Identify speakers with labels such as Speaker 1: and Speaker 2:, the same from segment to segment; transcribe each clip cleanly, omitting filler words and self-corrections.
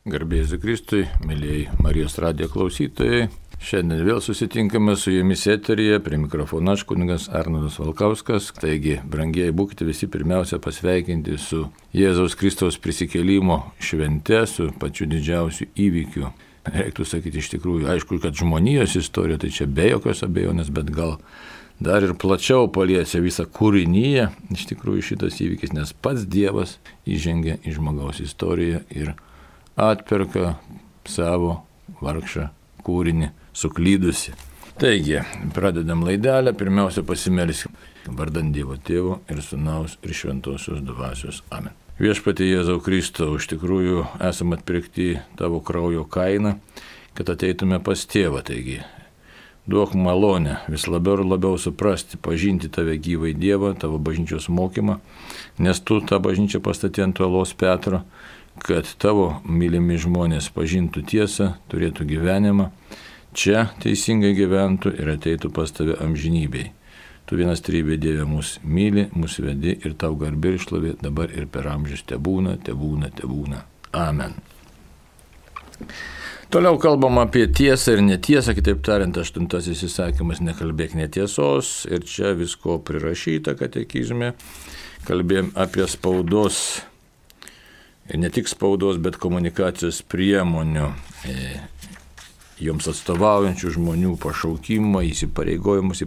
Speaker 1: Garbė Jėzui Kristui, mėlyjei Marijos radijo klausytojai. Šiandien vėl susitinkame su jumis eteryje, prie mikrofono aš kunigas Arnoldas Valkauskas. Taigi, brangieji, būkite visi pirmiausia pasveikinti su Jėzaus Kristaus prisikėlimo švente, su pačiu didžiausiu įvykiu. Reiktų sakyti iš tikrųjų, aišku, kad žmonijos istorija, tai čia be jokios abejonės, bet gal dar ir plačiau paliečia visą kūrinyje, iš tikrųjų šitas įvykis, nes pats Dievas įžengia į žmogaus istoriją ir atperka savo vargšą kūrinį suklydusi. Taigi, pradedam laidelę, pirmiausia pasimelsim vardant Dievo Tėvo ir Sūnaus ir Šventosios Dvasios. Amen. Viešpatie Jėzau Kristau, iš tikrųjų esame atpirkti tavo kraujo kainą, kad ateitume pas Tėvą. Taigi, duok malonę vis labiau ir labiau suprasti, pažinti tave gyvai Dievą, tavo bažnyčios mokymą, nes tu tą bažnyčią pastatė ant uolos Petro, kad tavo mylimi žmonės pažintų tiesą, turėtų gyvenimą, čia teisingai gyventų ir ateitų pas tave amžinybei. Tu vienas trybė Dieve mus myli, mus vedi ir tau garbė ir šlovė dabar ir per amžius tebūna. Amen. Toliau kalbam apie tiesą ir netiesą, kitaip tariant, 8 įsakymas nekalbėk netiesos ir čia visko prirašyta katekizme. Kalbėjom apie spaudos. Ir ne tik spaudos, bet komunikacijos priemonių, joms atstovaujančių žmonių pašaukimą, įpareigojimus,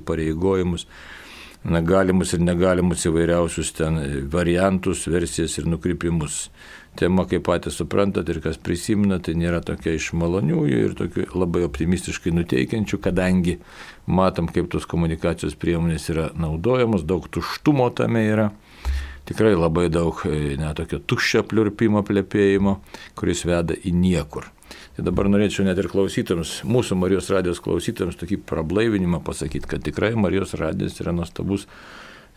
Speaker 1: galimus ir negalimus įvairiausius ten variantus, versijas ir nukrypimus. Tema, kaip patys suprantat ir kas prisimena, tai nėra tokia iš maloniųjų ir tokių labai optimistiškai nuteikiančių, kadangi matom, kaip tos komunikacijos priemonės yra naudojamos, daug tuštumo tame yra. Tikrai labai daug tokio tuščio pliurpimo, plepėjimo, kuris veda į niekur. Tai dabar norėčiau net ir klausytams, mūsų Marijos radijos klausytams tokį prablaivinimą pasakyti, kad tikrai Marijos radijas yra nuostabus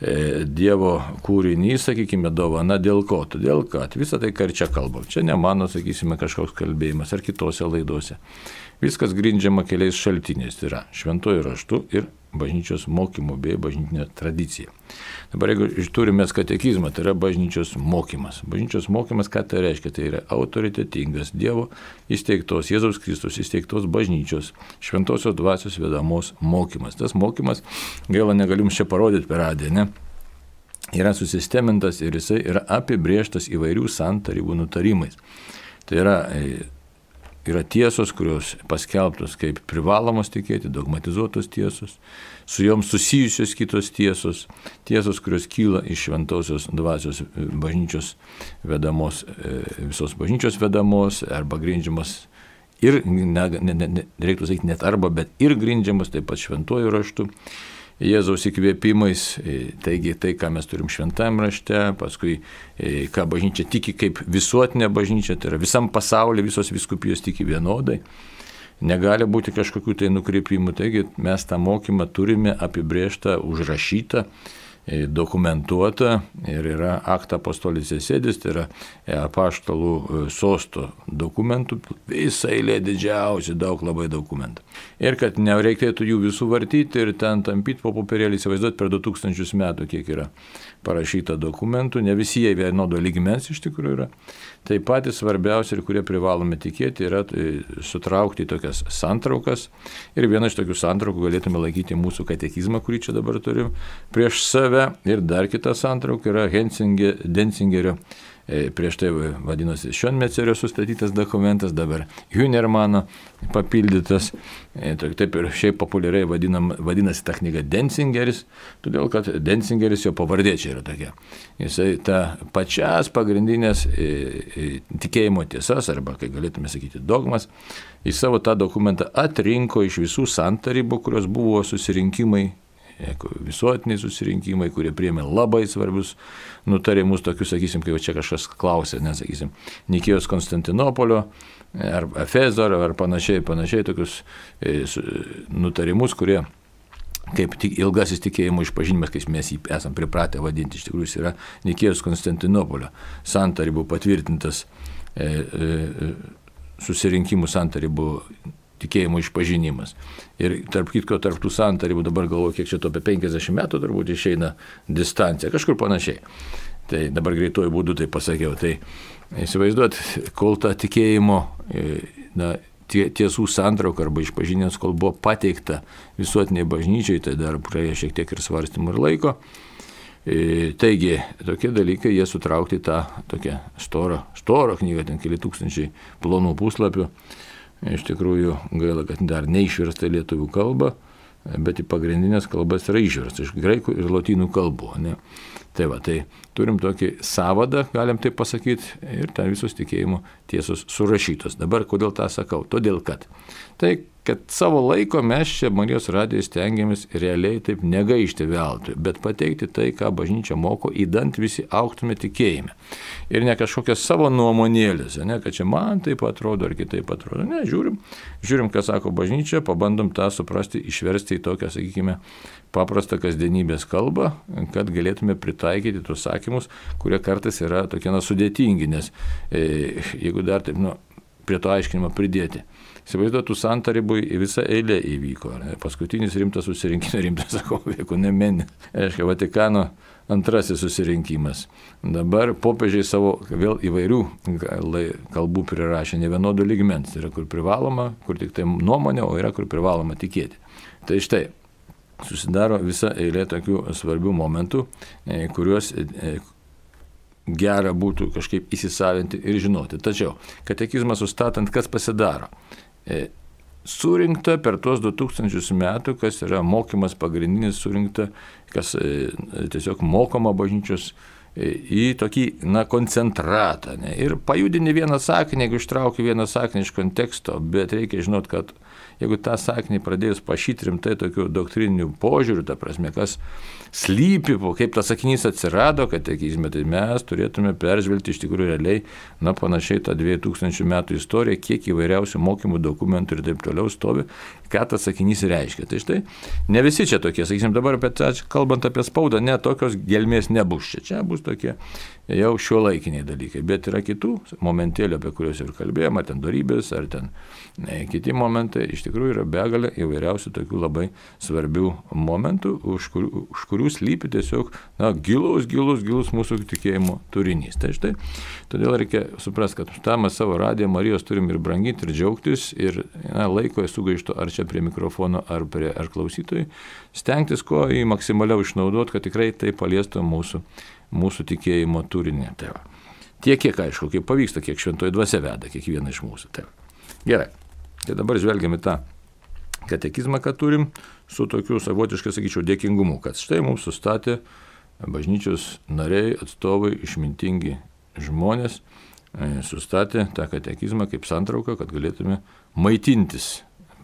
Speaker 1: Dievo kūrinys, sakykime, dovana dėl ko? Todėl, kad visą tai, ką ir čia kalbam, čia ne mano, sakysime, kažkoks kalbėjimas ar kitose laidose. Viskas grindžiama keliais šaltiniais, tai yra šventuoju raštu ir bažnyčios mokymu bei bažnytinė tradicija. Dabar jeigu turime katekizmą, tai yra bažnyčios mokymas. Bažnyčios mokymas, ką tai reiškia? Tai yra autoritetingas Dievo įsteigtos, Jėzaus Kristus įsteigtos bažnyčios, šventosios dvasios vedamos mokymas. Tas mokymas, gaila negalim čia parodyti per radiją, ne? Yra susistemintas ir jisai yra apibrėžtas įvairių santarybų nutarimais. Tai yra tiesos, kurios paskelbtos kaip privalomos tikėti, dogmatizuotos tiesos, su joms susijusios kitos tiesos, kurios kyla iš šventosios dvasios bažnyčios vedamos, visos bažnyčios vedamos, arba grindžiamos ir, reiktų sakyti net arba, bet ir grindžiamos taip pat šventuoju raštu, Jėzaus įkvėpimais, taigi tai, ką mes turim šventajame rašte, paskui ką bažnyčia tiki kaip visuotinė bažnyčia, tai yra visam pasaulyje visos vyskupijos tiki vienodai, negali būti kažkokių tai nukreipimų, taigi mes tą mokymą turime apibrėžtą, užrašytą, dokumentuota ir yra akta apostolis sėdis, tai yra apaštalų sosto dokumentų, visą eilė didžiausi, labai dokumentų. Ir kad nereikėtų jų visų vartyti ir ten tampyti po popierėlį, įsivaizduoti per 2000 metų, kiek yra parašyta dokumentų, ne visi jie vienodo lygmens iš tikrųjų yra. Tai patys svarbiausi ir kurie privalome tikėti yra sutraukti į tokias santraukas ir vieną iš tokių santraukų galėtume laikyti mūsų katekizmą, kurį čia dabar turim prieš save ir dar kita santrauka yra Denzingerio, prieš tai vadinosi Šionmetcerio sustatytas dokumentas, dabar Hünermano papildytas, taip ir šiaip populiariai vadinasi ta knyga Denzingeris, todėl kad Denzingeris jo pavardė čia yra tokia. Jisai ta pačias pagrindinės tikėjimo tiesas, arba, kai galėtume sakyti, dogmas, į savo tą dokumentą atrinko iš visų santarybų, kurios buvo susirinkimai, visuotiniai susirinkimai, kurie priėmė labai svarbius nutarimus, tokius, sakysim, kai čia kažkas klausė, nesakysim, Nikėjos Konstantinopolio, ar Efezo, ar panašiai, tokius nutarimus, kurie kaip ilgasis tikėjimo išpažinimas, kaip mes jį esam pripratę vadinti, iš tikrųjų jis yra Nikėjos Konstantinopolio santarybų patvirtintas susirinkimų santarybų tikėjimo išpažinimas. Ir tarp kitko, tarp tų santarybų, dabar galvoju, kiek čia to apie 50 metų turbūt išeina distancija, kažkur panašiai. Tai dabar greituoju būdu tai pasakiau. Tai Įsivaizduot, kol ta tikėjimo tiesų santrauka arba išpažinęs, kol buvo pateikta visuotiniai bažnyčiai, tai dar praėjo šiek tiek ir svarstymų ir laiko. Taigi, tokie dalykai, jie sutraukti tą tokią storą knygą, ten keli tūkstančiai plonų puslapių. Iš tikrųjų, gaila, kad dar neišversta į lietuvių kalbą, bet į pagrindinės kalbas yra išversta iš graikų ir lotynų kalbų. Ne? Tai turim tokį sąvadą, galim taip pasakyti, ir ten visos tikėjimo tiesos surašytos. Dabar kodėl tą sakau? Todėl kad savo laiko mes čia Marijos radijoje stengiamės realiai taip negaišti veltui, bet pateikti tai, ką bažnyčia moko, įdant visi augtume tikėjime. Ir ne kažkokias savo nuomonėlės, ne, kad čia man taip atrodo ar kitaip atrodo. Ne, žiūrim, ką sako bažnyčia, pabandom tą suprasti, išversti į tokią, sakykime, paprastą kasdienybės kalbą, kad galėtume pritaikyti tuos sakymus, kurie kartais yra tokie sudėtingi, nes jeigu dar taip, prie to aiškinimo pridėti. Įsivaizduotų santarybui visą eilę įvyko. Paskutinis rimtas susirinkimas, sakau, ekumeninė. Reiškia, Vatikano antrasis susirinkimas. Dabar popiežiai savo vėl įvairių kalbų prirašė ne vienodų lygmens. Tai yra, kur privaloma, kur tik tai nuomonė, o yra, kur privaloma tikėti. Tai štai, susidaro visa eilė tokių svarbių momentų, kuriuos gera būtų kažkaip įsisavinti ir žinoti. Tačiau katekizmą sustatant, kas pasidaro? Surinkta per tuos 2000 metų, kas yra mokymas pagrindinis, surinkta, kas tiesiog mokoma bažnyčios į tokį koncentratą. Ne? Ir pajudini vieną sakinį, jeigu ištrauki vieną sakinį iš konteksto, bet reikia žinot, kad jeigu tą sakinį pradėjus pašyti rimtai tokių doktrininių požiūrių, ta prasme, kas slypi, kaip tas sakinys atsirado katekizme, tai mes turėtume peržvelgti iš tikrųjų realiai, panašiai tą 2000 metų istoriją, kiek įvairiausių mokymų dokumentų ir taip toliau stovi, ką tas sakinys reiškia. Tai štai, ne visi čia tokie, sakysim, dabar kalbant apie spaudą, ne tokios gelmės nebus čia. Čia bus tokie jau šiuolaikiniai dalykai, bet yra kitų momentėlių, apie kuriuos ir kalbėjome, ar ten dorybės, ar ten kiti momentai, iš tikrųjų yra begalė įvairiausių tokių labai svarbių momentų, už kurių slypi tiesiog gilus mūsų tikėjimo turinys. Tai štai, todėl reikia suprasti, kad tą mes savo radiją Marijos turim ir branginti, ir džiaugtis, ir laiko sugaišto ar čia prie mikrofono, ar klausytojai, stengtis ko į maksimaliau išnaudoti, kad tikrai tai paliestų mūsų tikėjimo turinį. Tai va. Tiek, kiek aišku, kaip pavyksta, kiek šventoji dvasia veda kiekvieną iš mūsų. Tai gerai. Tai dabar žvelgiame tą katekizmą, kad turim, su tokiu savotiškai, sakyčiau, dėkingumu, kad štai mums sustatė bažnyčios nariai, atstovai, išmintingi žmonės, sustatė tą katekizmą kaip santrauką, kad galėtume maitintis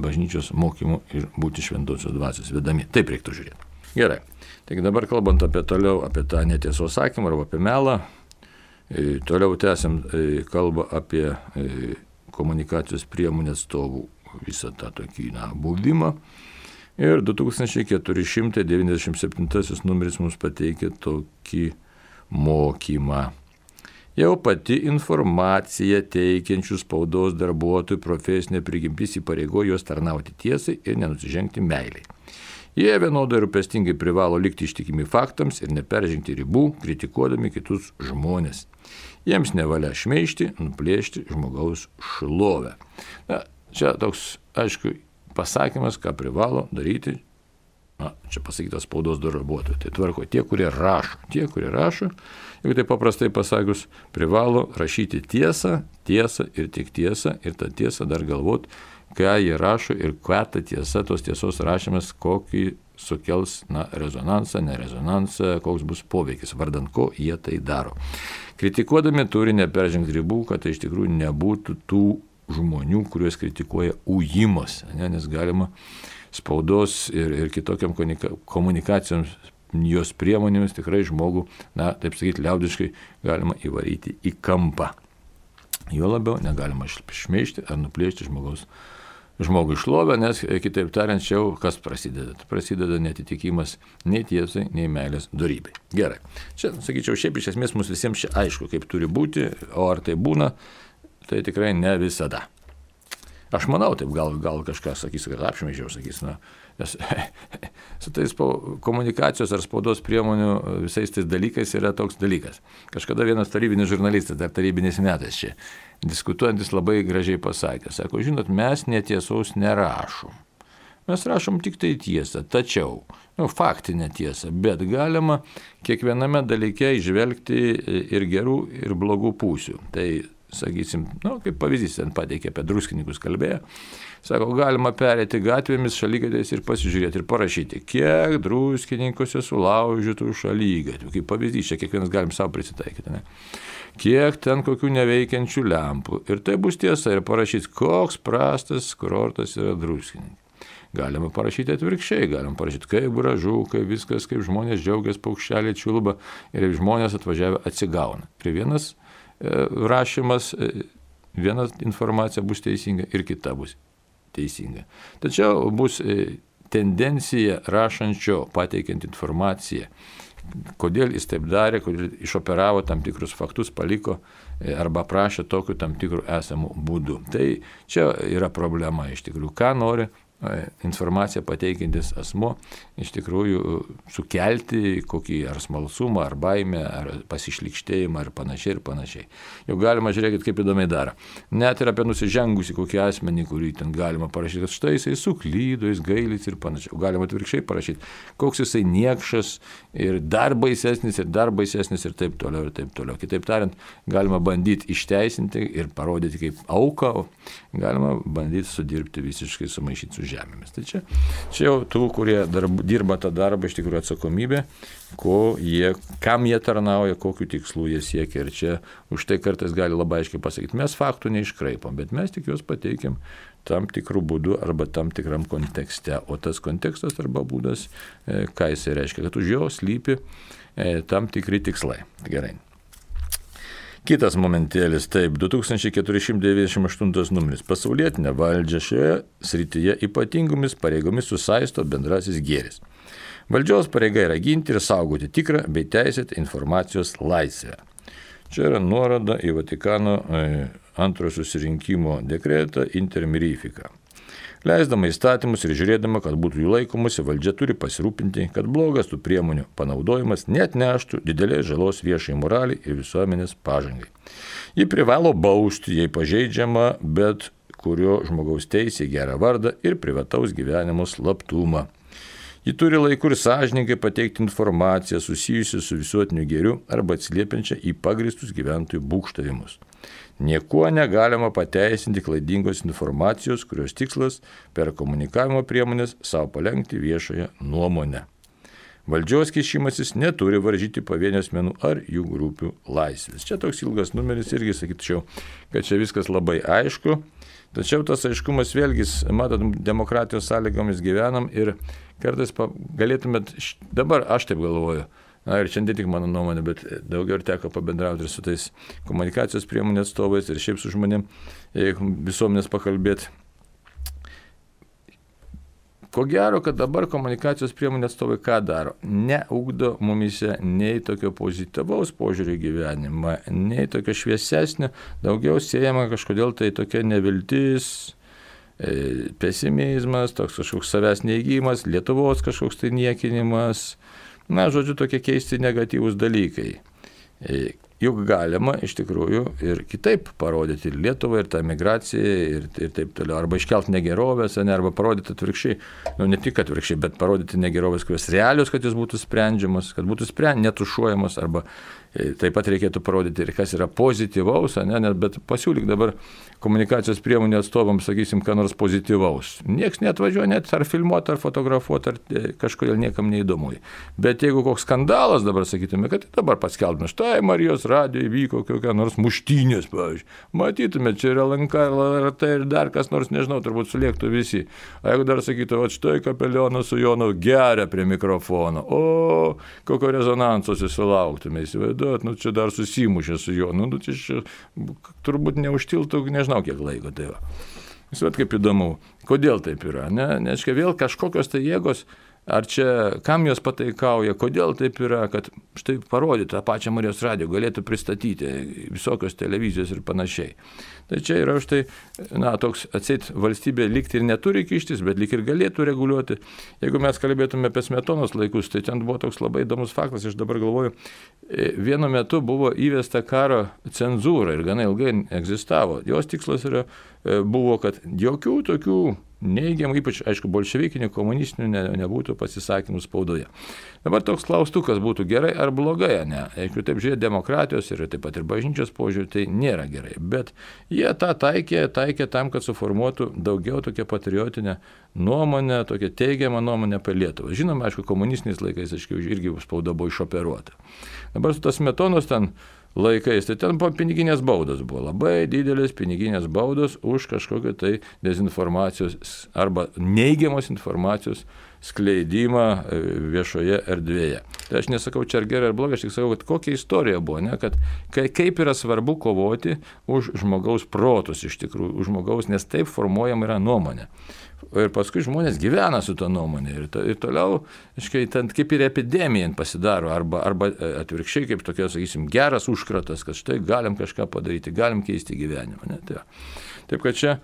Speaker 1: bažnyčios mokymu ir būti šventosios dvasios vedami. Taip reiktų žiūrėti. Gerai. Taigi dabar kalbant apie tą netiesos sakymą arba apie melą, toliau tęsiam kalbą apie komunikacijos priemonės atstovų visą tą tokį buvimą. Ir 2497 numeris mums pateikė tokį mokymą. Jau pati informacija teikiančių spaudos darbuotojų profesinė prigimtis įpareigoja juos tarnauti tiesai ir nenusižengti meiliai. Jie vienodai rūpestingai privalo likti ištikimi faktams ir neperžengti ribų, kritikuodami kitus žmonės. Jiems nevalia šmeižti, nuplėšti žmogaus šlovę. Čia toks, aišku, pasakymas, ką privalo daryti, čia pasakytas spaudos darbuotojai. Tai tvarko tie, kurie rašo. Jeigu tai paprastai pasakius, privalo rašyti tiesą ir tik tiesą, ir tą tiesą dar galvoti, ką jie rašo ir ką ta tiesa, tos tiesos rašymas, kokį sukels rezonansą, nerezonansą, koks bus poveikis, vardant ko jie tai daro. Kritikuodami turi neperžengti ribų, kad tai iš tikrųjų nebūtų tų žmonių, kuriuos kritikuoja ujimas, nes galima spaudos ir kitokiam komunikacijoms jos priemonėmis tikrai žmogų, taip sakyti, liaudiškai galima įvaryti į kampą. Jo labiau negalima šmeižti ar nuplėšti žmogui šlovę, nes kitaip tariant, čia kas prasideda? Prasideda netitikimas nei tiesai, nei meilės dorybei. Gerai. Čia, sakyčiau, šiaip iš esmės mums visiems čia aišku, kaip turi būti, o ar tai būna, tai tikrai ne visada. Aš manau, taip gal kažkas sakys, kad apšmeižiau, sakys, nes su tais komunikacijos ar spaudos priemonių visais tais dalykais yra toks dalykas. Kažkada vienas tarybinis žurnalistas, dar tarybiniais metais čia, diskutuojantis labai gražiai pasakė, sako, žinot, mes netiesos nerašom. Mes rašom tik tai tiesą, tačiau, faktinę tiesą, bet galima kiekviename dalyke įžvelgti ir gerų, ir blogų pusių. Tai, sakysim, kaip pavyzdys, ten pateikė apie druskininkus kalbėjo, sako, galima perėti gatvėmis šaligatviais ir pasižiūrėti ir parašyti, kiek druskininkuose sulaužytų šaligatvių. Kaip pavyzdys, čia kiekvienas galim savo prisitaikyti, ne? Kiek ten kokių neveikiančių lempų. Ir tai bus tiesa ir parašyti, koks prastas kurortas yra druskininkai. Galima parašyti atvirkščiai, galima parašyti, kaip gražu, kaip viskas, kaip žmonės džiaugiasi, paukšteliai čiulba ir žmonės atvažiavę atsigauna. Ir vienas rašymas, viena informacija bus teisinga ir kita bus teisinga. Tačiau bus tendencija rašančio pateikiant informaciją, kodėl jis taip darė, kodėl išoperavo tam tikrus faktus, paliko arba prašė tokiu tam tikrų esamų būdų. Tai čia yra problema iš tikrųjų, ką nori informaciją pateikintis asmo iš tikrųjų sukelti kokį ar smalsumą, ar baimę, ar pasišlykštėjimą, ar panašiai. Jau galima žiūrėkit, kaip įdomiai daro. Net ir apie nusižengusį kokį asmenį, kurį ten galima parašyti, kad štai jisai suklydo, jis gailisi ir panašiai. Galima atvirkščiai parašyti, koks jisai niekšas ir dar baisesnis ir taip toliau. Kitaip tariant, galima bandyti išteisinti ir parodyti kaip auką, galima bandyti sudirbti visiškai sumaišyti su žemėmis. Tai čia jau tų, kurie dirba tą darbą, iš tikrųjų atsakomybė, kam jie tarnauja, kokiu tikslu jie siekia. Ir čia už tai kartais gali labai aiškiai pasakyti, mes faktų neiškraipom, bet mes tik juos pateikiam tam tikrų būdų arba tam tikram kontekste. O tas kontekstas arba būdas, ką jisai reiškia, kad už jo slypi tam tikri tikslai. Gerai. Kitas momentėlis, taip, 2498 numeris. Pasaulietinę valdžią šioje srityje ypatingomis pareigomis susaisto bendrasis gėris. Valdžios pareiga yra ginti ir saugoti tikrą bei teisėtą informacijos laisvę. Čia yra nuoroda į Vatikano antrojo susirinkimo dekretą Inter Mirifica. Leisdama įstatymus ir žiūrėdama, kad būtų jų laikomasi, valdžia turi pasirūpinti, kad blogas tų priemonių panaudojimas net neštų didelės žalos viešai moraliai ir visuomenės pažangai. Ji privalo bausti, jei pažeidžiama bet kurio žmogaus teisė gerą vardą ir privataus gyvenimo slaptumą. Ji turi laiku ir sąžininkai pateikti informaciją susijusią su visuotiniu gėriu arba atsiliepiančią į pagristus gyventojų būgštavimus. Niekuo negalima pateisinti klaidingos informacijos, kurios tikslas per komunikavimo priemonės savo palengti viešąją nuomonę. Valdžios kišimasis neturi varžyti pavienių asmenų ar jų grupių laisvės. Čia toks ilgas numeris irgi sakyčiau, kad čia viskas labai aišku. Tačiau tas aiškumas vėlgi, matot, demokratijos sąlygomis gyvenam ir kartais galėtumėt, dabar aš taip galvoju, ir šiandien tik mano nuomonė, bet daugiau ir teko pabendrauti ir su tais komunikacijos priemonės atstovais ir šiaip su žmonėm visuomenės pakalbėti. Ko gero, kad dabar komunikacijos priemonės atstovai ką daro? Neugdo mumise nei tokio pozityvaus požiūrio į gyvenimą, nei tokio šviesesnio, daugiau siejama kažkodėl tai tokia neviltis, pesimizmas, toks kažkoks savęs neįgymas, Lietuvos kažkoks tai niekinimas. Žodžiu, tokie keisti negatyvūs dalykai. Juk galima iš tikrųjų ir kitaip parodyti ir Lietuvą, ir tą migraciją, ir taip toliau. Arba iškelti negerovės, arba parodyti atvirkščiai, ne tik atvirkščiai, bet parodyti negerovės, kurios realios, kad jis būtų sprendžiamas, kad būtų netušuojamas, arba taip pat reikėtų parodyti ir kas yra pozityvaus, bet pasiūlyk dabar komunikacijos priemonių atstovams, sakysim, ką nors pozityvaus. Niekas neatvažiuoja net ar filmuoti, ar fotografuoti, ar kažkodėl niekam neįdomu. Bet jeigu koks skandalas dabar sakytume, kad dabar paskelbtume, štai Marijos radijoje vyko kokia nors muštynės, pavyzdžiui. Matytume, čia yra LNK, LRT ir dar kas nors, nežinau, turbūt sulėktų visi. O jeigu dar sakytų, o štai Kapelionas su Jonu geria prie mikrofono, o kokio rezonanso susilauktume, įsivaizduot, čia dar susimušė su Jonu, čia turbūt neužtiltų, nežinau kiek laiko tai va. Kaip įdomu, kodėl taip yra, ne? Nes vėl kažkokios tai jėgos Ar čia, kam jos pataikauja, kodėl taip yra, kad štai parodyti tą pačią Marijos radiją, galėtų pristatyti visokios televizijos ir panašiai. Tai čia yra štai, toks atseit valstybė lyg ir neturi kištis, bet lyg ir galėtų reguliuoti. Jeigu mes kalbėtume apie Smetonos laikus, tai ten buvo toks labai įdomus faktas, aš dabar galvoju, vienu metu buvo įvesta karo cenzūra ir gana ilgai egzistavo. Jos tikslas buvo, kad jokių tokių neigiamų, ypač, aišku, bolševikinių, komunistinių nebūtų pasisakymų spaudoje. Dabar toks klaustukas būtų gerai ar blogai, ne? Jeigu taip žiūrėti demokratijos ir taip pat ir bažnyčios požiūrį, tai nėra gerai. Bet jie tą taikė tam, kad suformuotų daugiau tokią patriotinę nuomonę, tokią teigiamą nuomonę apie Lietuvą. Žinoma, aišku, komunistiniais laikais, aišku, irgi spauda buvo išoperuota. Dabar su tas Smetonos ten laikais, tai ten piniginės baudos buvo, labai didelės piniginės baudos už kažkokią tai dezinformacijos arba neigiamos informacijos skleidimą viešoje erdvėje. Tai aš nesakau, čia ar gerai ar blogai, aš tik sakau, kad kokia istorija buvo, ne? Kad kaip yra svarbu kovoti už žmogaus protus iš tikrųjų, už žmogaus, nes taip formuojama yra nuomonė. Ir paskui žmonės gyvena su to nuomonė ir toliau, ten kaip ir epidemija pasidaro, arba atvirkščiai kaip tokia, sakysim, geras užkratas, kad štai galim kažką padaryti, galim keisti gyvenimą. Ne? Taip kad čia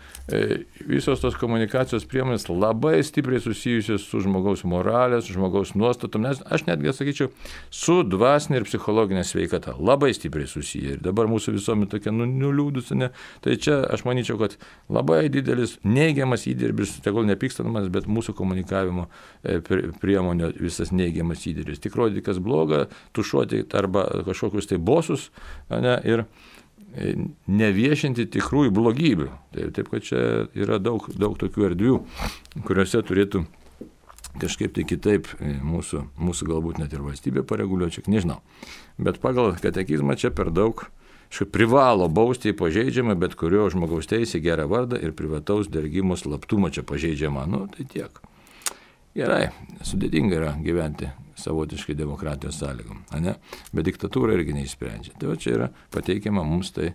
Speaker 1: visos tos komunikacijos priemonės labai stipriai susijusios su žmogaus moralės, su žmogaus nuostatom, nes aš netgi sakyčiau, su dvasinė ir psichologinė sveikata labai stipriai susiję. Ir dabar mūsų visuomenė tokia nuliūdusi, ne? Tai čia aš manyčiau, kad labai didelis neigiamas įdirbis, tegul nepykstanamas, bet mūsų komunikavimo priemonė visas neigiamas įdirbis. Tik rodyti, kas bloga, tušuoti arba kažkokius tai bosus, ne? Ir neviešinti tikrųjų blogybių. Taip, kad čia yra daug tokių erdvių, kuriuose turėtų kažkaip tai kitaip mūsų galbūt net ir valstybė pareguliuoti, nežinau. Bet pagal katekizmą čia per daug privalo bausti pažeidžiamą bet kurio žmogaus teisę, gerą vardą ir privataus dergimo slaptumą čia pažeidžiama. Tai tiek. Gerai, sudėtinga yra gyventi savotiškai demokratijos sąlygom, ne? Bet diktatūra irgi neįsprendžia. Tai va čia yra pateikiama mums tai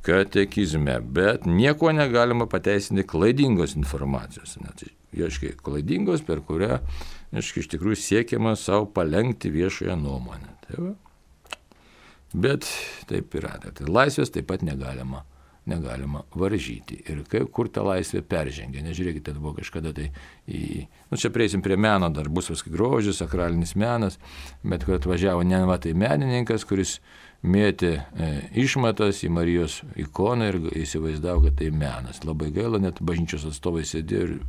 Speaker 1: katekizme, bet nieko negalima pateisinti klaidingos informacijos. Tai aiškiai klaidingos, per kurią iš tikrųjų siekiama savo palengti viešąją nuomonę. Tai va. Bet taip yra. Tai laisvės taip pat negalima varžyti. Ir kur ta laisvė peržengia. Nežiūrėkite, tai buvo kažkada tai čia prieisim prie meno, dar bus viskai grožis, sakralinis menas, bet kur atvažiavo tai menininkas, kuris mėtė išmatas į Marijos ikoną ir įsivaizdavo, kad tai menas. Labai gaila, net bažnyčios atstovai sėdėjo ir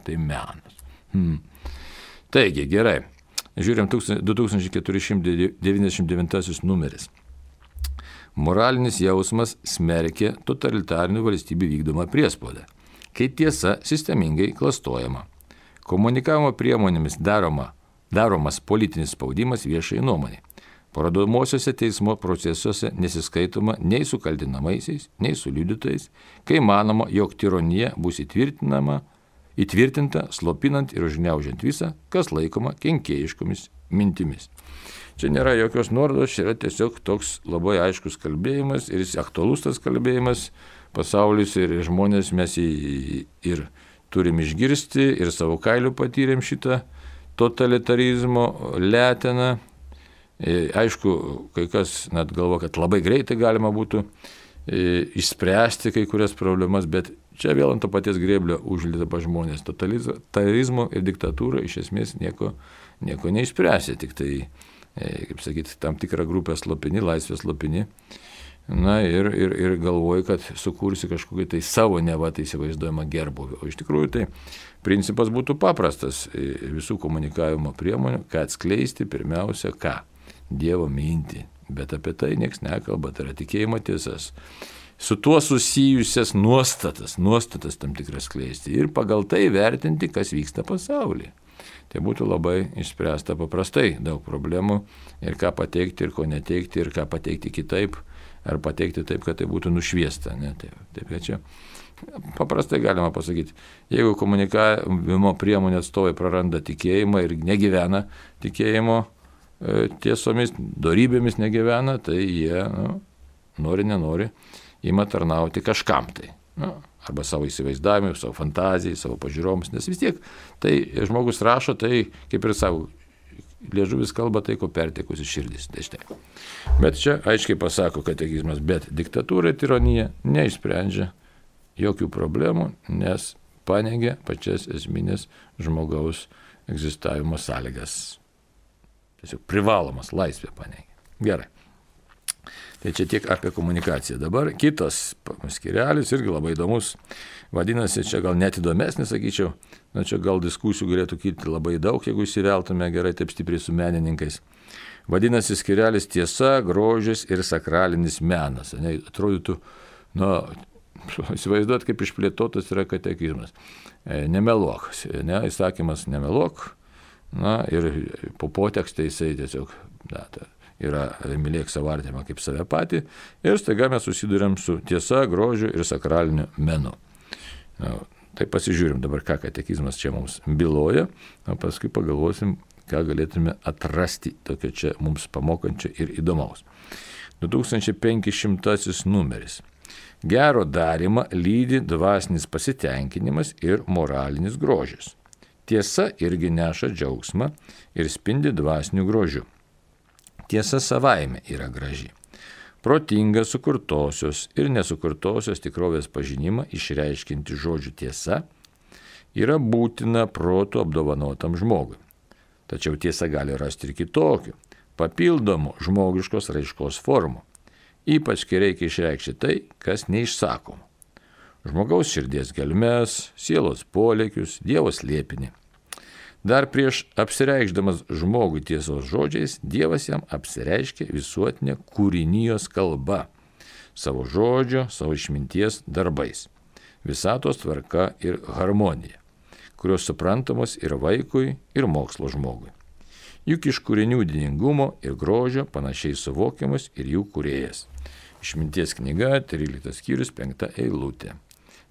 Speaker 1: tai menas. Taigi, gerai. Žiūrėjom 2499 numeris. Moralinis jausmas smerkia totalitarinių valstybių vykdomą priespaudą, kai tiesa sistemingai klastojama. Komunikavimo priemonėmis daromas politinis spaudimas viešai nuomonei. Parodomosiuose teismo procesuose nesiskaitoma nei su kaltinamaisiais, nei su liudytojais, kai manoma, jog tironija bus įtvirtinta, slopinant ir užgniaužiant visą, kas laikoma kenkėjiškomis mintimis. Čia nėra jokios nuorodos, čia yra tiesiog toks labai aiškus kalbėjimas ir jis aktualus tas kalbėjimas, pasaulis ir žmonės mes ir turim išgirsti ir savo kailiu patyrėm šitą totalitarizmo leteną. Aišku, kai kas net galvo, kad labai greitai galima būtų išspręsti kai kurias problemas, bet čia vėl ant to paties grėblio užlipa žmonės. Totalitarizmo ir diktatūra iš esmės nieko neišspręsė, tik tai kaip sakyti, tam tikrą grupę slopini, laisvės slopini, ir galvoji, kad sukursi kažkokį tai savo tai įsivaizduojamą gerbuvį. O iš tikrųjų tai principas būtų paprastas visų komunikavimo priemonių, kad atskleisti pirmiausia ką? Dievo mintį. Bet apie tai nieks nekalba, tai yra tikėjimo tiesas. Su tuo susijusias nuostatas tam tikras skleisti ir pagal tai vertinti, kas vyksta pasaulyje. Tai būtų labai išspręsta paprastai daug problemų ir ką pateikti ir ko neteikti ir ką pateikti kitaip ar pateikti taip, kad tai būtų nušviesta. Ne? Taip, kad čia paprastai galima pasakyti, jeigu komunikavimo priemonių atstovai praranda tikėjimą ir negyvena tikėjimo tiesomis, dorybėmis negyvena, tai jie nori, nenori, ima tarnauti kažkam tai. Arba savo įsivaizdavimui, savo fantazijai, savo pažiūroms, nes vis tiek tai žmogus rašo, tai kaip ir savo liežuvis kalba tai, ko pertekusi širdis. Tai štai. Bet čia aiškiai pasako katekizmas, bet diktatūra ir tironija neišsprendžia jokių problemų, nes paneigia pačias esminės žmogaus egzistavimo sąlygas. Tiesiog privalomas laisvė paneigia. Gerai. Tai čia tiek apie komunikaciją. Dabar kitas skirelis irgi labai įdomus. Vadinasi, čia gal net įdomesnis, sakyčiau. Čia gal diskusijų galėtų kilti labai daug, jeigu įsiveltume gerai taip stipriai su menininkais. Vadinasi, skirelis tiesa, grožis ir sakralinis menas. Atrodytų, įsivaizduot, kaip išplėtotas yra katekizmas. Nemeluok. Įsakymas nemeluok. Ir po potekstą jisai tiesiog yra mylėk savo artimą kaip save patį. Ir staiga mes susiduriam su tiesa, grožiu ir sakraliniu menu. Tai pasižiūrim dabar, ką katekizmas čia mums byloja, o paskui pagalvosim, ką galėtume atrasti tokio čia mums pamokančio ir įdomaus. 2500 numeris. Gero darymą lydi dvasinis pasitenkinimas ir moralinis grožis. Tiesa irgi neša džiaugsmą ir spindi dvasiniu grožiu. Tiesa savaime yra graži. Protinga sukurtosios ir nesukurtosios tikrovės pažinimą išreiškinti žodžių tiesa yra būtina protu apdovanotam žmogui. Tačiau tiesa gali rasti ir kitokių, papildomų žmogiškos raiškos formų, ypač kai reikia išreikšti tai, kas neišsakoma. Žmogaus širdies gelmes, sielos polėkius, Dievo slėpinį. Dar prieš apsireikšdamas žmogui tiesos žodžiais, Dievas jam apsireiškia visuotinė kūrinijos kalba, savo žodžio, savo išminties darbais, visatos tvarka ir harmonija, kurios suprantamos ir vaikui, ir mokslo žmogui. Juk iš kūrinių didingumo ir grožio panašiai suvokiamas ir jų kūrėjas. Išminties knyga, 13 skyrius, 5 eilutė.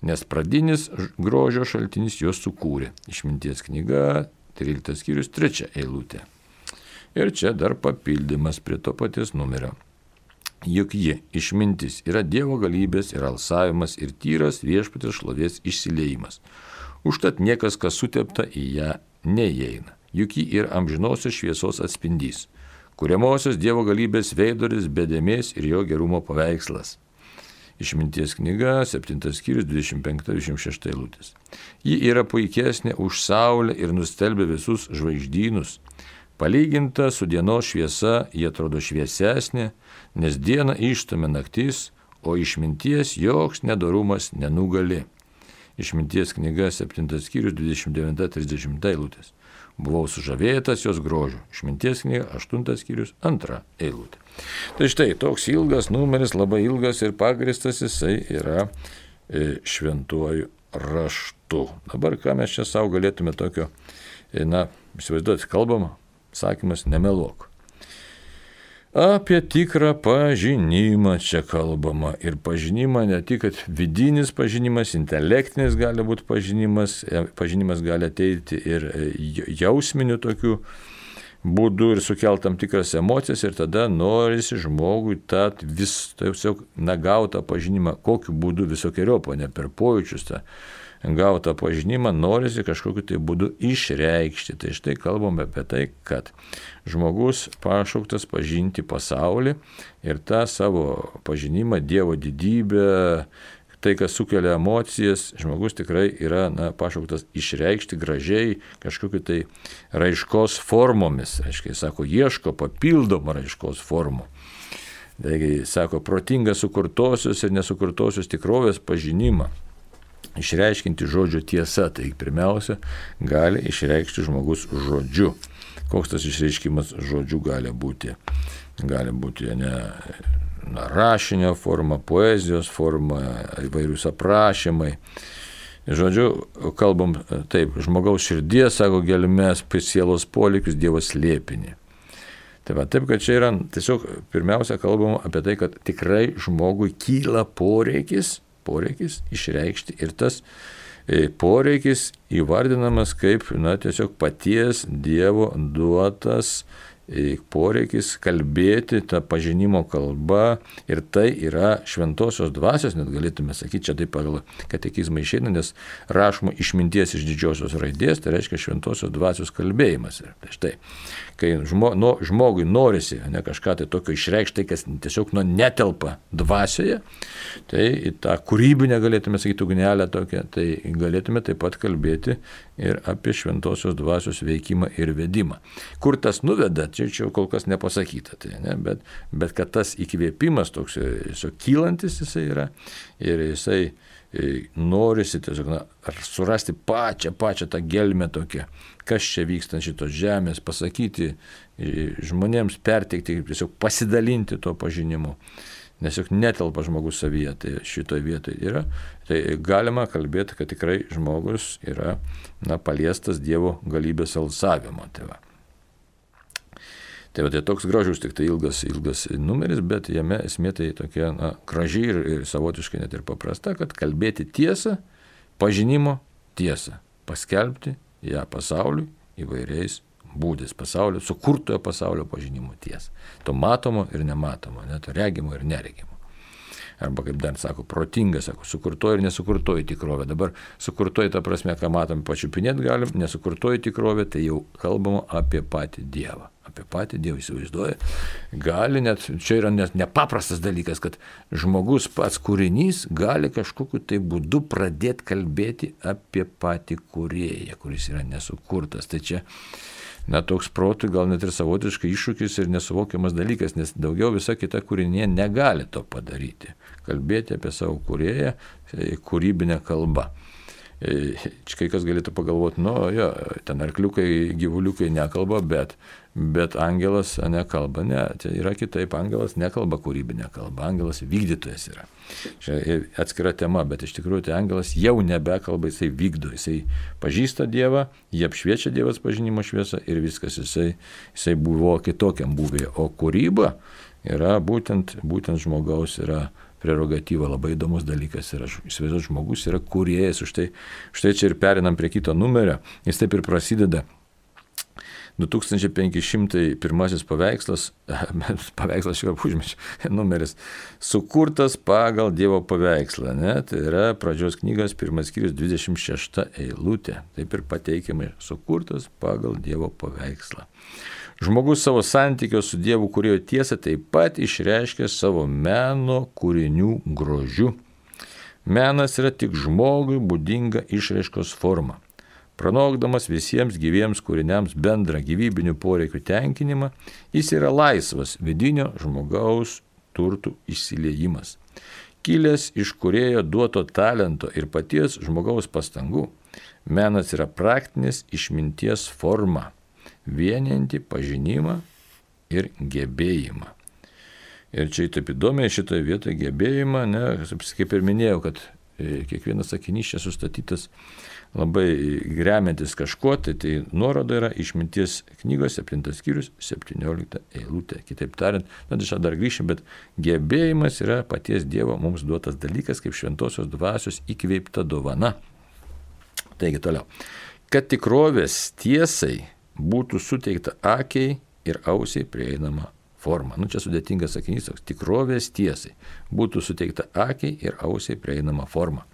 Speaker 1: Nes pradinis grožio šaltinis juos sukūrė. Išminties knyga, 13 skyrius, 3 eilutė. Ir čia dar papildymas prie to paties numerio. Juk ji, išmintis, yra Dievo galybės ir alsavimas ir tyras viešpaties šlovės išsiliejimas. Užtat niekas, kas sutepta, į ją neįeina. Juk ji ir amžinosios šviesos atspindys, kuriamosios Dievo galybės veidoris, bedėmės ir jo gerumo paveikslas. Išminties knyga, 7 skyrius, 25-26 eilutės. Ji yra puikesnė už saulę ir nustelbia visus žvaigždynus. Palyginta su dienos šviesa, ji atrodo šviesesnė, nes dieną išstumia naktis, o išminties joks nedorumas nenugali. Išminties knyga, 7 skyrius, 29-30 eilutės. Buvau sužavėtas jos grožiu. Išminties knyga, 8 skyrius, 2 eilutė. Tai štai, toks ilgas numeris, labai ilgas ir pagristas jisai yra šventuoju raštu. Dabar ką mes čia savo galėtume tokio, įsivaizduoti, kalbama, sakymas nemeluok. Apie tikrą pažinimą čia kalbama. Ir pažinimą ne tik, kad vidinis pažinimas, intelektinis gali būti pažinimas gali ateiti ir jausminių tokių būdų ir sukelt tam tikras emocijas ir tada norisi žmogui tą tiesiog gautą pažinimą, kokiu būdu visokeriopą, ne per pojūčius tą gautą pažinimą norisi kažkokiu tai būdu išreikšti. Tai štai kalbame apie tai, kad žmogus pašauktas pažinti pasaulį ir tą savo pažinimą, Dievo didybę, tai, kas sukelia emocijas, žmogus tikrai yra pašauktas išreikšti gražiai kažkokiu tai raiškos formomis. Aiškiai, sako, ieško papildomą raiškos formų. Taigi, sako, protinga sukurtosios ir nesukurtosios tikrovės pažinimą. Išreiškinti žodžio tiesa, tai pirmiausia, gali išreikšti žmogus žodžiu. Koks tas išreiškimas žodžiu gali būti? Gali būti rašinio forma, poezijos forma, įvairius aprašymai. Žodžiu, kalbam taip, žmogaus širdies, sako, gelmes, sielos polėkius, Dievo slėpinį. Taip, kad čia yra tiesiog pirmiausia kalbama apie tai, kad tikrai žmogui kyla poreikis išreikšti ir tas poreikis įvardinamas kaip tiesiog paties Dievo duotas poreikis kalbėti tą pažinimo kalbą ir tai yra šventosios dvasios, net galėtume sakyti, čia taip pagal katekizmą išeina, nes rašoma išminties iš didžiosios raidės, tai reiškia šventosios dvasios kalbėjimas. Ir tai štai, kai žmogui norisi ne kažką tai tokio išreikšti, tai kas tiesiog netelpa dvasioje, tai į tą kūrybinę, galėtume sakyti, ugnelę tokią, tai galėtume taip pat kalbėti ir apie šventosios dvasios veikimą ir vedimą. Kur tas nuveda, čia kol kas nepasakyta, tai, ne? Bet kad tas įkvėpimas toks kylantis jisai yra ir jisai norisi tiesiog surasti pačią tą gelmę tokią, kas čia vyksta šitos žemės, pasakyti žmonėms, perteikti, tiesiog pasidalinti to pažinimu. Nes juk netelpa žmogus savyje, tai šitoje vietoje yra, tai galima kalbėti, kad tikrai žmogus yra paliestas Dievo galybės alsavimo. Tai toks gražus, tik tai ilgas numeris, bet jame esmė tai tokia graži ir savotiškai net ir paprasta, kad kalbėti tiesą, pažinimo tiesą, paskelbti ją pasauliui įvairiais būdais, pasaulio, sukurtojo pasaulio pažinimo tiesą. To matomo ir nematomo, to regimo ir neregimo. Arba kaip dar sako, protinga, sako, sukurtoji ir nesukurtoji tikrovė. Dabar sukurtoji ta prasme, ką matom, pačiupinėti galim, nesukurtoji tikrovė, tai jau kalbama apie patį Dievą. Apie patį Dievą įsivaizduoja. Gali net, čia yra net nepaprastas dalykas, kad žmogus pats kūrinys gali kažkokiu tai būdu pradėti kalbėti apie patį kūrėją, kuris yra nesukurtas. Tai čia toks protui gal net ir savotiškai iššūkis ir nesuvokiamas dalykas, nes daugiau visa kita kūrinė negali to padaryti. Kalbėti apie savo kūrėją kūrybinę kalbą. Čia kai kas galėtų pagalvoti, ten arkliukai, gyvuliukai nekalba, bet angelas nekalba. Ne, tai yra kitaip, angelas nekalba kūrybinę kalbą, angelas vykdytojas yra. Čia atskira tema, bet iš tikrųjų tai angelas jau nebekalba, jisai vykdo, jisai pažįsta Dievą, jį apšviečia Dievas pažinimo šviesą ir viskas, jisai buvo kitokiam buvėje. O kūryba yra būtent žmogaus yra prerogatyva, labai įdomus dalykas yra. Įsivaizduoju, žmogus yra kūrėjas, už tai čia ir perinam prie kito numerio, jis taip ir prasideda. 2501 paveikslas šiuo užmečiu numeris, sukurtas pagal Dievo paveikslą, tai yra pradžios knygos 1 skyrius 26 eilutė, taip ir pateikiamai, sukurtas pagal Dievo paveikslą. Žmogus savo santykio su Dievu kūrėjo tiesą taip pat išreiškė savo meno kūrinių grožiu. Menas yra tik žmogui būdinga išraiškos forma. Pranokdamas visiems gyviems kūriniams bendrą gyvybinių poreikių tenkinimą, jis yra laisvas vidinio žmogaus turtų išsiliejimas. Kilęs iš kūrėjo duoto talento ir paties žmogaus pastangų, menas yra praktinės išminties forma, vienijanti pažinimą ir gebėjimą. Ir čia taip įdomiai šitoje vietoje gebėjimą, kaip ir minėjau, kad kiekvienas sakinys čia sustatytas labai remiantis kažkuo, tai nuoroda yra išminties knygos 7 skyrius 17 eilutė. Kitaip tariant, čia dar grįšim, bet gebėjimas yra paties Dievo mums duotas dalykas, kaip šventosios dvasios įkveipta dovana. Taigi toliau. Kad tikrovės tiesai būtų suteikta akiai ir ausiai prieinama forma. Čia sudėtingas sakinys, toks tikrovės tiesai būtų suteikta akiai ir ausiai prieinama forma.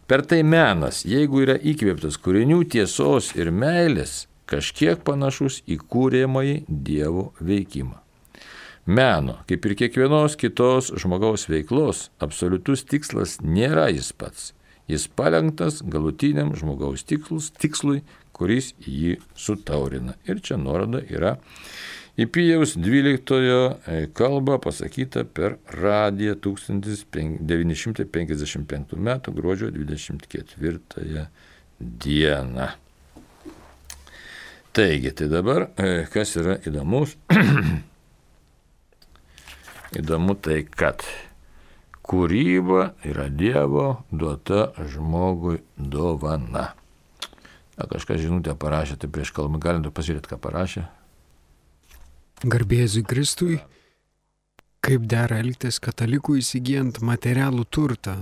Speaker 1: Per tai menas, jeigu yra įkvėptas kūrinių tiesos ir meilės, kažkiek panašus į kūrėmąjį Dievo veikimą. Meno, kaip ir kiekvienos kitos žmogaus veiklos, absoliutus tikslas nėra jis pats. Jis palenktas galutiniam žmogaus tikslui, kuris jį sutaurina. Ir čia nuoroda yra į Pijaus 12 kalbą pasakyta per radiją 1955 m. gruodžio 24 dieną. Taigi, tai dabar, kas yra įdomus? Įdomu tai, kad kūryba yra Dievo duota žmogui dovana. Kažkas žinutę parašė, tai prieš kalbą galim pasižiūrėti, ką parašė.
Speaker 2: Garbėzui Kristui, kaip dera elgtis katalikų įsigijant materialų turtą.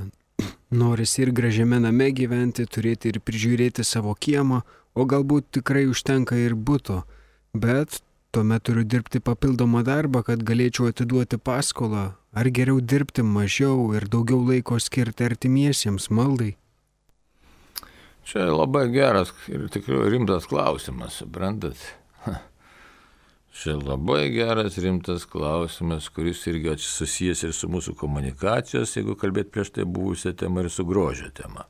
Speaker 2: Norisi ir gražiame name gyventi, turėti ir prižiūrėti savo kiemą, o galbūt tikrai užtenka ir buto, bet tuomet turiu dirbti papildomą darbą, kad galėčiau atiduoti paskolą, ar geriau dirbti mažiau ir daugiau laiko skirti artimiesiems maldai?
Speaker 1: Čia labai geras ir tikrai rimtas klausimas, suprantat? Čia labai geras rimtas klausimas, kuris irgi susijęs ir su mūsų komunikacijos, jeigu kalbėt prieš tai buvusią temą, ir su grožio tema.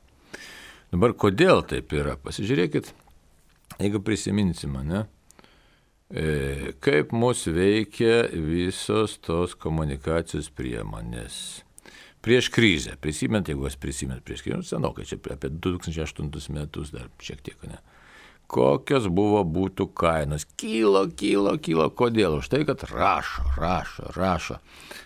Speaker 1: Dabar kodėl taip yra? Pasižiūrėkit, jeigu prisiminsime, ne? Kaip mus veikia visos tos komunikacijos priemonės. Prieš krizę, prisimint, jeigu jūs prisimint prieš krizę, senokai, čia apie 2008 metus dar šiek tiek, ne? Kokios buvo būtų kainos. Kilo. Kodėl? Už tai, kad rašo.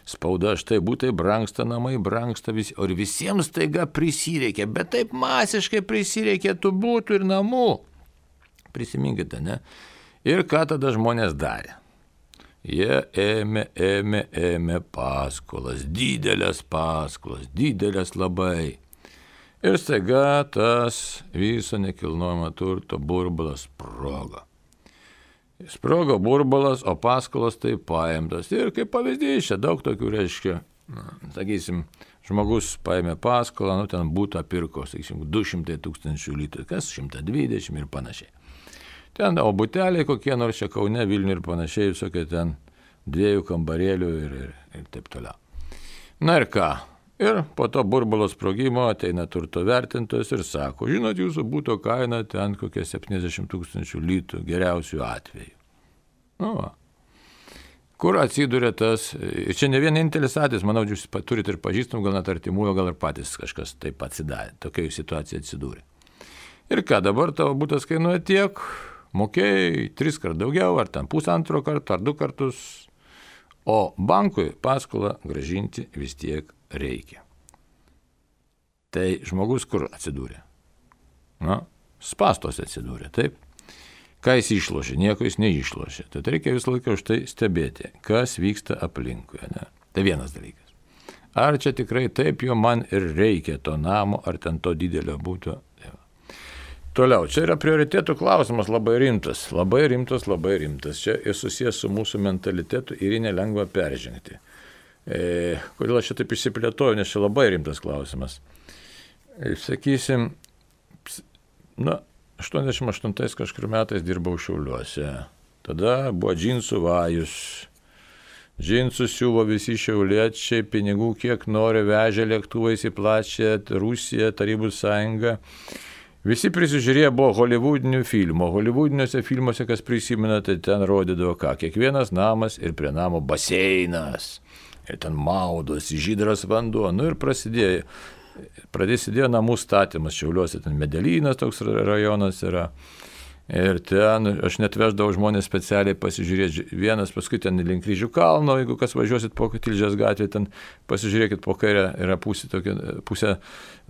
Speaker 1: Spauda, štai būtai brangsta, namai brangsta, o ir visiems taiga prisireikia, bet taip masiškai prisireikia tų būtų ir namų. Prisiminkite, ne? Ir ką tada žmonės darė? Jie ėmė paskolas, didelės labai. Ir staiga tas viso nekilnojamo turto burbulas sprogo. Sprogo burbulas, o paskolos tai paimtos. Ir kaip pavyzdys, čia daug tokių reiškia, sakysim, žmogus paėmė paskolą, ten būtą pirko, sakysim, 200 000 litrų, kas 120 ir panašiai. Ten, o buteliai kokie nors čia Kaune, Vilniuje ir panašiai, visokie ten 2 kambarėlių ir taip toliau. Na ir ką? Ir po to burbulo sprogimo ateina turto vertintojas ir sako, žinot, jūsų būto kaina ten kokie 70 000 litrų geriausių atveju. Nu va. Kur atsiduria tas, ir čia ne vienintelis atvejis, manau, jūs turite ir pažįstamų, gal net artimųjų, gal ir patys kažkas taip atsidarė, tokia situacija atsidūrė. Ir ką, dabar tavo būtas kainuoja tiek, mokėjai 3 kart daugiau, ar ten 1,5 karto, ar 2 kartus, o bankui paskolą grąžinti vis tiek reikia. Tai žmogus kur atsidūrė? Na, spąstuose atsidūrė, taip? Ką jis išlošė? Nieko jis neišlošė. Tad reikia visą laiką už tai stebėti, kas vyksta aplinkui. Ne? Tai vienas dalykas. Ar čia tikrai taip jo man ir reikia to namo, ar ten to didelio būto? Toliau, čia yra prioritėtų klausimas labai rimtas. Čia ir susijęs su mūsų mentalitetu ir jį nelengva peržengti. Kodėl aš čia taip išsiplėtoju, nes čia labai rimtas klausimas. Sakysim, 88 kažkur metais dirbau Šiauliuose. Tada buvo džinsų vajus. Džinsus siuvo visi šiauliečiai, pinigų kiek nori, vežė lėktuvais į plačią Rusiją, Tarybų sąjungą. Visi prisižiūrėję buvo holivudinių filmų. Holivudiniuose filmuose, kas prisimena, tai ten rodydavo ką. Kiekvienas namas ir prie namo baseinas. Ir ten maudosi, žydras vanduo. Nu ir prasidėjo namų statymas Šiauliuose. Ten Medelynas toks rajonas yra. Ir ten aš net veždavau žmonės specialiai pasižiūrėti. Vienas paskui ten link Kryžių kalno, jeigu kas važiuosit po Tilžės gatvę, ten pasižiūrėkit po kairę yra pusė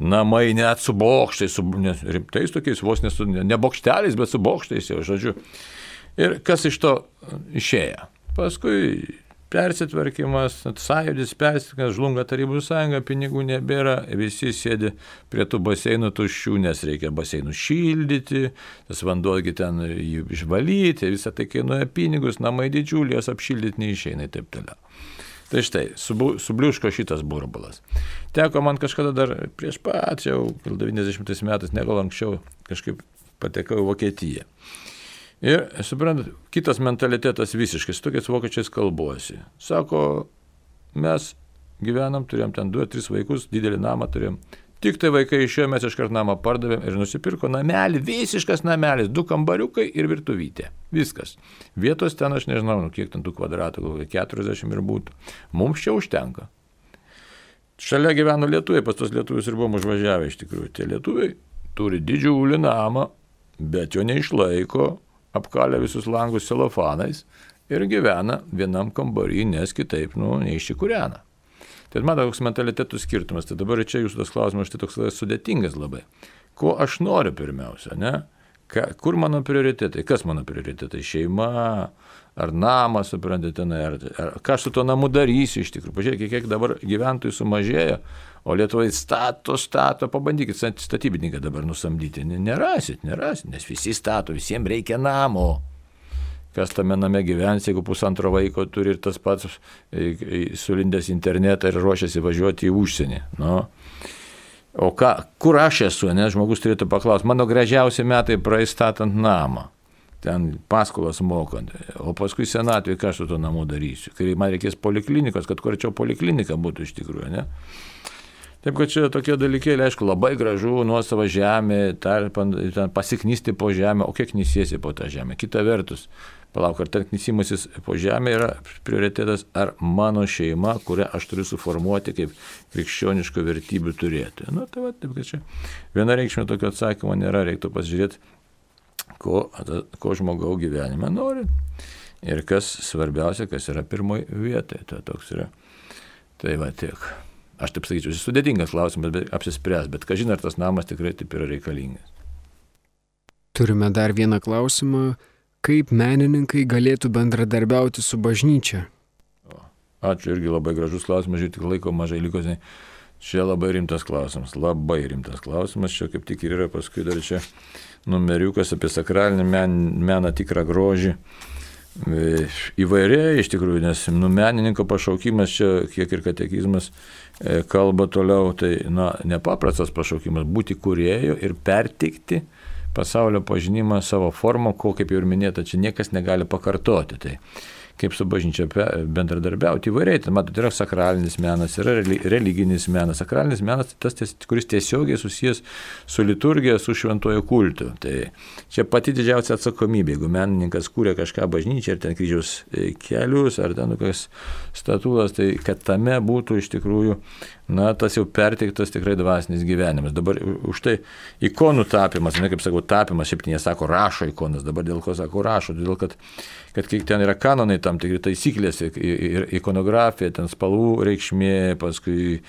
Speaker 1: namai net su bokštais, rimtais tokiais, vos ne bokšteliais, bet su bokštais jau, žodžiu. Ir kas iš to išėjo? Paskui persitvarkymas, sąjūdis persitvarkymas, žlunga Tarybų sąjunga, pinigų nebėra, visi sėdi prie tų baseinų tuščių, nes reikia baseinų šildyti, tas vanduogi ten jį išvalyti, visą tai kainuoja pinigus, namai didžiuliai, jas apšildyti neišeina ir taip toliau. Tai štai, subliuško šitas burbulas. Teko man kažkada dar prieš pat, jau 90 metais, ne gal anksčiau, kažkaip patekau į Vokietiją. Ir, suprantat, kitas mentalitetas visiškai, su tokiais vokiečiais kalbuosi. Sako, mes gyvenam, turėjom ten 2-3 vaikus, didelį namą turėjom. Tik tai vaikai išėjo, mes iškart namą pardavėm ir nusipirko namelį, visiškas namelis, 2 kambariukai ir virtuvytė. Viskas. Vietos ten aš nežinau, kiek ten tų kvadratų, 40 ir būtų. Mums čia užtenka. Šalia gyveno lietuviai, pas tos lietuvius ir buvom užvažiavę iš tikrųjų. Tie lietuviai turi didžiulį namą, bet jo neišlaiko, apkalę visus langus celofanais ir gyvena vienam kambarį, nes kitaip, neišsikūrena. Tai man toks mentalitetų skirtumas. Tai dabar čia jūsų tas klausimas, štai toks sudėtingas labai. Ko aš noriu pirmiausia, ne? Kur mano prioritetai? Kas mano prioritetai? Šeima, ar namas, suprantate, ar ką aš su tuo namu darysiu iš tikrųjų. Pažiūrėkite, kiek dabar gyventojų sumažėjo, o Lietuvai stato, pabandykit statybininką dabar nusamdyti. Nerasit, nes visi stato, visiems reikia namo. kas tame name gyvens, jeigu pusantro vaiko turi ir tas pats sulindęs internetą ir ruošiasi važiuoti į užsienį. Nu. O kur aš esu, nes žmogus turėtų paklausti, mano gražiausi metai praeis statant namą, ten paskolas mokant, o paskui senatvėje ką aš su to namu darysiu, kai man reikės poliklinikos, kad kur arčiau poliklinika būtų iš tikrųjų, ne? Taip, kad čia tokie dalykėliai, aišku, labai gražu, nuosava žemė, ten pasiknysti po žemę, o kiek nisiesi po tą žemę. Kita vertus, palauk, ar ten knysimasis po žemę yra prioritetas, ar mano šeima, kurią aš turiu suformuoti kaip krikščioniškų vertybių turėti. Nu, tai va, taip, kad čia vienareikšmio tokio atsakymo nėra, reiktų pasižiūrėti, ko žmogaus gyvenime nori ir kas svarbiausia, kas yra pirmoji vietoje. Tai toks yra. Tai va tiek. Aš taip sakyčiau, sudėtingas klausimas, bet apsispręs, bet kažin ar tas namas tikrai taip yra reikalingas.
Speaker 2: Turime dar vieną klausimą. Kaip menininkai galėtų bendradarbiauti su bažnyčia?
Speaker 1: Ačiū, irgi labai gražus klausimas, žiūrėk, tik laiko mažai liko. Čia labai rimtas klausimas, Čia kaip tik ir yra paskui dar čia numeriukas apie sakralinį meną, tikrą grožį. Įvairiai iš tikrųjų, nes menininko pašaukimas čia, kiek ir katekizmas kalba toliau, tai nepaprastas pašaukimas būti kūrėju ir perteikti pasaulio pažinimą savo formą, ko, kaip jau ir minėta, čia niekas negali pakartoti. Tai kaip su bažnyčia bendradarbiauti įvairiai. Tai, matot, yra sakralinis menas, yra religinis menas. Sakralinis menas tai tas, kuris tiesiogiai susijęs su liturgija, su šventuoju kultu. Tai čia pati didžiausia atsakomybė, jeigu menininkas kūrė kažką bažnyčiai, ar ten kryžiaus kelius, ar ten kokias statulas, tai kad tame būtų iš tikrųjų, tas jau perteiktas tikrai dvasinis gyvenimas. Dabar už tai ikonų tapimas, kaip sakau, tapimas, šiaip nesako rašo ikonas, dabar dėl ko sako rašo, dėl kad kiek ten yra kanonai tam tikri taisyklės ir ikonografija, ten spalvų reikšmė, paskui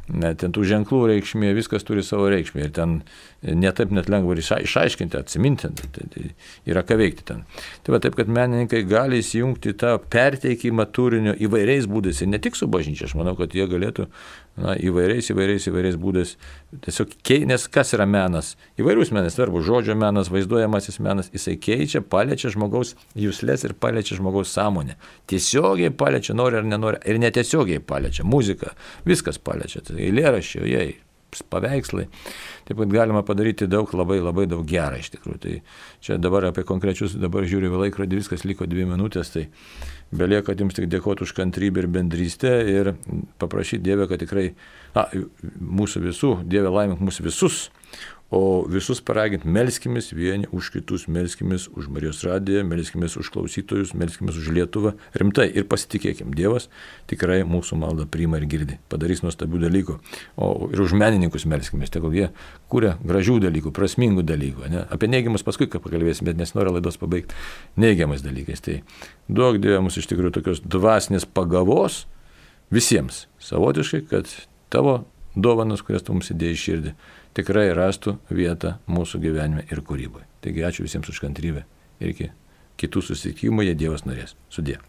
Speaker 1: ten tų ženklų reikšmė, viskas turi savo reikšmę ir ten netaip net lengva išaiškinti, atsiminti, tai yra ką veikti ten. Tai va taip, kad menininkai gali įsijungti tą perteikimą turinio įvairiais būdais ir ne tik su bažnyčia, aš manau, kad jie galėtų įvairiais būdais tiesiog nes kas yra menas? Įvairius menas, svarbu, žodžio menas, vaizduojamasis menas, jisai keičia, paliečia žmogaus juslės ir paliečia žmogaus sąmonę. Tiesiogiai paliečia, nori ar nenori, ir netiesiogiai paliečia, muzika, viskas paliečia, tai eilėraščiai, paveikslai. Taip pat galima padaryti labai daug gerą iš tikrųjų. Tai čia dabar apie konkrečius, dabar žiūriu į laikrodį, viskas liko 2 minutės, tai belieka jums tik dėkoti už kantrybę ir bendrystę ir paprašyti Dievę, kad tikrai mūsų visų, Dieve laimink mūsų visus, o visus paraginti, melskimės vieni už kitus, melskimės už Marijos radiją, melskimės už klausytojus, melskimės už Lietuvą, rimtai ir pasitikėkim, Dievas tikrai mūsų maldą priima ir girdi, padarys nuostabių dalykų, o ir už menininkus melskimės, tegul jie kūrė gražių dalykų, prasmingų dalykų, ne? Apie neigiamus paskui pakalbėsim, bet nesinori laidos pabaigti neigiamais dalykais, tai duok Dieve mums iš tikrųjų tokios dvasinės pagavos visiems, savotiškai, kad tavo dovanas, kurias tu mums įdėjai į širdį, tikrai rastų vietą mūsų gyvenime ir kūryboje. Taigi ačiū visiems už kantrybę ir iki kitų susitikimų, jei Dievas norės. Sudie.